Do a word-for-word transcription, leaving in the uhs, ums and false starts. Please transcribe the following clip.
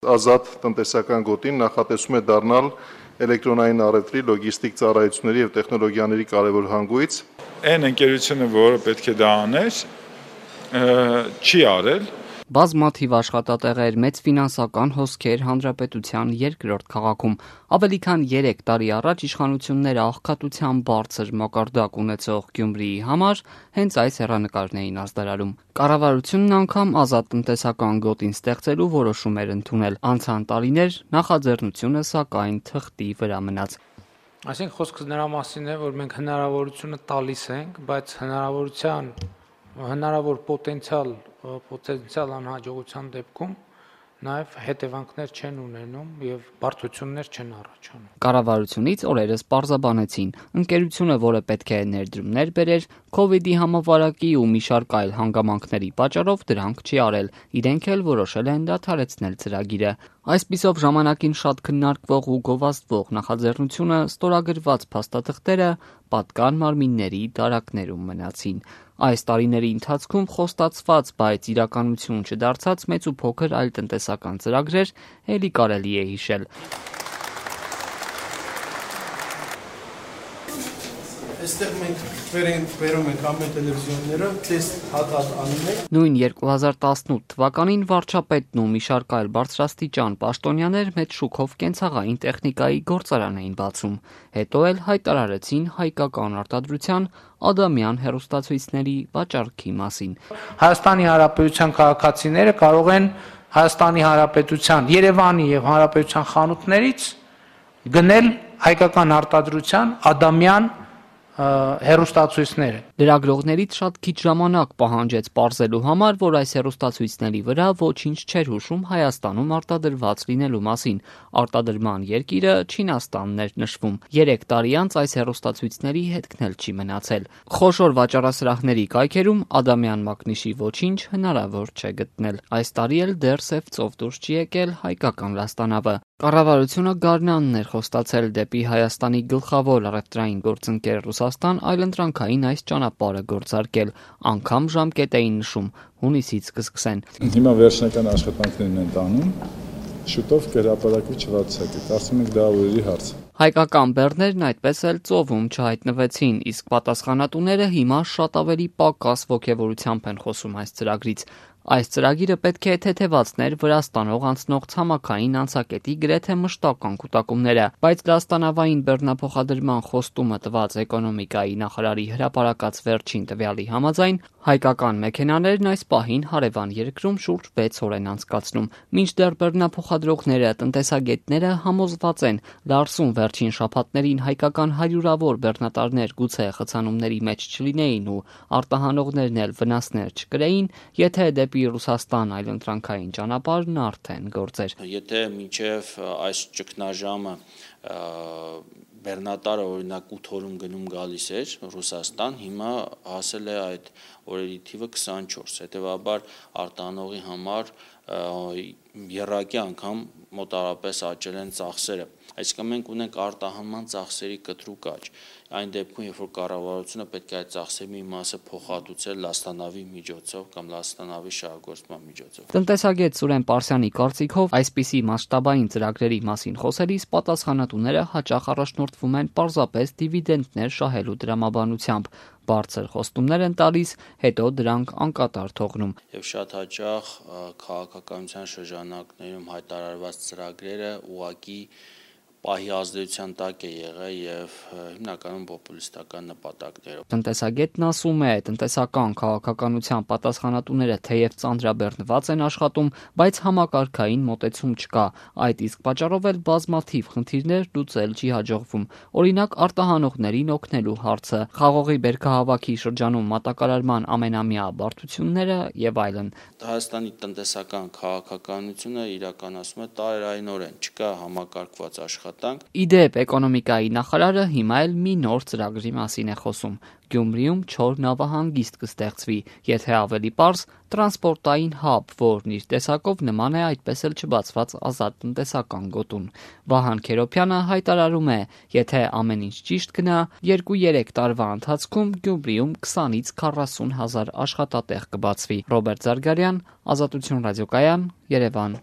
Ազատ տնտեսական գոտին նախատեսում է դառնալ էլեկտրոնային առևտրի, լոգիստիկ ծառայությունների և տեխնոլոգիաների կարևոր հանգույց։ Այն ընկերությունը, որը պետք է դա աներ, չի արել։ Բազմաթիվ աշխատատեղեր, մեծ ֆինանսական հոսքեր հանրապետության երկրորդ քաղաքում։ Ավելի քան երեք տարի առաջ իշխանությունները աղքատության բարձր մակարդակ ունեցող Գյումրիի համար հենց այս հեռանկարն էին ազդարարում։ Կառավարությունն անգամ ազատ տնտեսական գոտին ստեղծելու որոշում էր ընդունել։ Անցան տարիներ, նախաձեռնությունը սակայն թղթի վրա մնաց։ Այսինքն խոսքը նրա մասին է, որ մենք հնարավորությունը տալիս ենք, բայց հնարավորության հնարավոր պոտենցիալ պոտենցիալ անհաջողության դեպքում նաև հետևանքներ չեն ունենում եւ բարդություններ չեն առաջանում։ Կառավարությունից օրերս պարզաբանեցին, ընկերությունը, որը պետք է ներդրումներ բերեր, Քովիդի համավարակի ու մի շարք այլ հանգամանքների պատճառով դրանք չի արել։ Իրենք էլ որոշել են դադարեցնել ծրագիրը։ Այսպիսով ժամանակին շատ քննարկվող ու գովազդվող նախաձեռնությունը ստորագրված փաստաթղթերը պատկան մարմինների դարակներում մնացին։ Այս տարիների ընթացքում խոստացված, բայց իրականություն չդարձած մեծ ու փոքր այլ տնտեսական ծրագրեր էլի կարելի է հիշել։ Այստեղ մենք վերում ենք ամեն տելևիզիոնները, տեստ հատ-հատ անում ենք։ Նույն երկու հազար տասնութ թվականին վարչապետն ու մի շարք այլ բարձրաստիճան պաշտոնյաներ մեծ շուկով կենցաղային տեխնիկայի գործարան էին բացում։ Հետո էլ հայտարարեցին հայկական արտադրության Ադամյան հեռուստացույցների վաճառքի մասին։ Հայաստանի Հանրապետության քաղաքացիները կարող են Հայաստանի Հանրապետության, Երևանի եւ Հանրապետության խանութներից գնել հայկական արտադրության Ադամյան հեռուստացույցները։ Լրագրողներից շատ քիչ ժամանակ պահանջեց պարզելու համար, որ այս հեռուստացույցների վրա ոչինչ չէր հուշում Հայաստանում արտադրված լինելու մասին։ Արտադրման երկիրը Չինաստանն էր նշվում։ Երեք տարի անց այս հեռուստացույցների հետքն էլ չի մնացել։ Խոշոր վաճառասրահների կայքերում Ադամյան մակնիշի ոչինչ հնարավոր չէ գտնել։ Այս տարի էլ դեռ սև ծով դուրս չի եկել հայկական լաստանավը։ Կառավարությունը գարնանն էր խոստացել դեպի Հայաստանի գլխավոր առևտրային գործընկեր Ռուսաստան այլընտրանքային այս ճանապարհը գործարկել, անգամ ժամկետ էին նշում, հունիսից կսկսեն։ Հիմա վերջնական աշխատանքներն են տանում, շուտով կհրապարակվի չվարձակը, կարծում ենք դա օրերի հարց։ Հայկական բեռներն այդպես էլ ծովում չհայտնվեցին, իսկ պատասխանատուները հիմա շատ ավելի պակաս ոգևորությամբ են խոսում այս ծրագրից։ Այս ծրագիրը պետք է թեթևացներ Վրաստանով անցնող ցամաքային անցակետի գրեթե մշտական կուտակումները, բայց լաստանավային բեռնափոխադրման խոստումը տված էկոնոմիկայի նախարարի հրապարակած վերջին տվյալի համաձայն հայկական մեքենաներն այս պահին հարևան երկրում շուրջ վեց օր են անցկացնում։ Մինչդեռ բեռնափոխադրողները, տնտեսագետները համոզված են, Լարսում վերջին շաբաթներին հայկական հարյուրավոր բեռնատարներ գուցե խցանումների մեջ չլինեին ու արտահանողներն էլ վնասներ չկրեին, եթե դեպի Ռուսաստան այլընտրանքային ճանապարհն արդեն գործեր։ Եթե մինչև այս ճգնաժամը բեռնատարը օրինակ ութ օրում գնում գալիս էր Ռուսաստան, հիմա հասել է այդ օրերի թիվը քսանչորս, հետևաբար արտահանողի համար եռակի անգամ մոտավորապես աճել են ծախսերը։ Այսինքն մենք ունենք արտահանման ծախսերի կտրուկ աճ։ Այն դեպքում, երբ որ կառավարությունը պետք է այդ ծախսերի մի մասը փոխհատուցել լաստանավի միջոցով կամ լաստանավի շահագործման միջոցով։ Տնտեսագետ Սուրեն Պարսյանի կարծիքով այսպիսի մասշտաբային ծրագրերի մասին խոսելիս պատասխանատուները հաճախ առաջնորդվում են պարզապես դիվիդենտներ շահելու դրամաբանությամբ։ Բարձր խոստումներ են տալիս, հետո դրանք անկատար թողնում։ Եվ շատ հաճախ քաղաքականության շրջանակներում հայտարարված ծրագրերը ուղղակի պահի ազդեցության տակ է եղել եւ հիմնականում պոպուլիստական նպատակներով։ Տնտեսագետն ասում է, տնտեսական քաղաքականության պատասխանատուները թեև ծանրաբեռնված են աշխատում, բայց համակարգային մոտեցում չկա։ Այդ իսկ պատճառով էլ բազմաթիվ խնդիրներ լուծել չի հաջողվում։ Օրինակ արտահանողներին օգնելու հարցը, խաղողի բերքահավաքի շրջանում մատակարարման ամենամյա բարդությունները եւ այլն։ Հայաստանի տնտեսական քաղաքականությունը իրականացում է տարերայնորեն, չկա համակարգված աշխատանք։ Իդեպ էկոնոմիկայի նախարարը հիմա էլ մի նոր ծրագրի մասին է խոսում։ Գյումրիում չոր նավահանգիստ կստեղծվի, եթե ավելի պարզ, տրանսպորտային հաբ, որն իր տեսակով նման է այդպես էլ չբացված ազատ տնտեսական գոտուն։ Վահան Քերոբյանը հայտարարում է, եթե ամեն ինչ ճիշտ գնա, երկու-երեք տարվա ընթացքում Գյումրիում քսանից քառասուն հազար աշխատատեղ կբացվի։ Ռոբերտ Զարգարյան, Ազատություն ռադիոկայան, Երևան։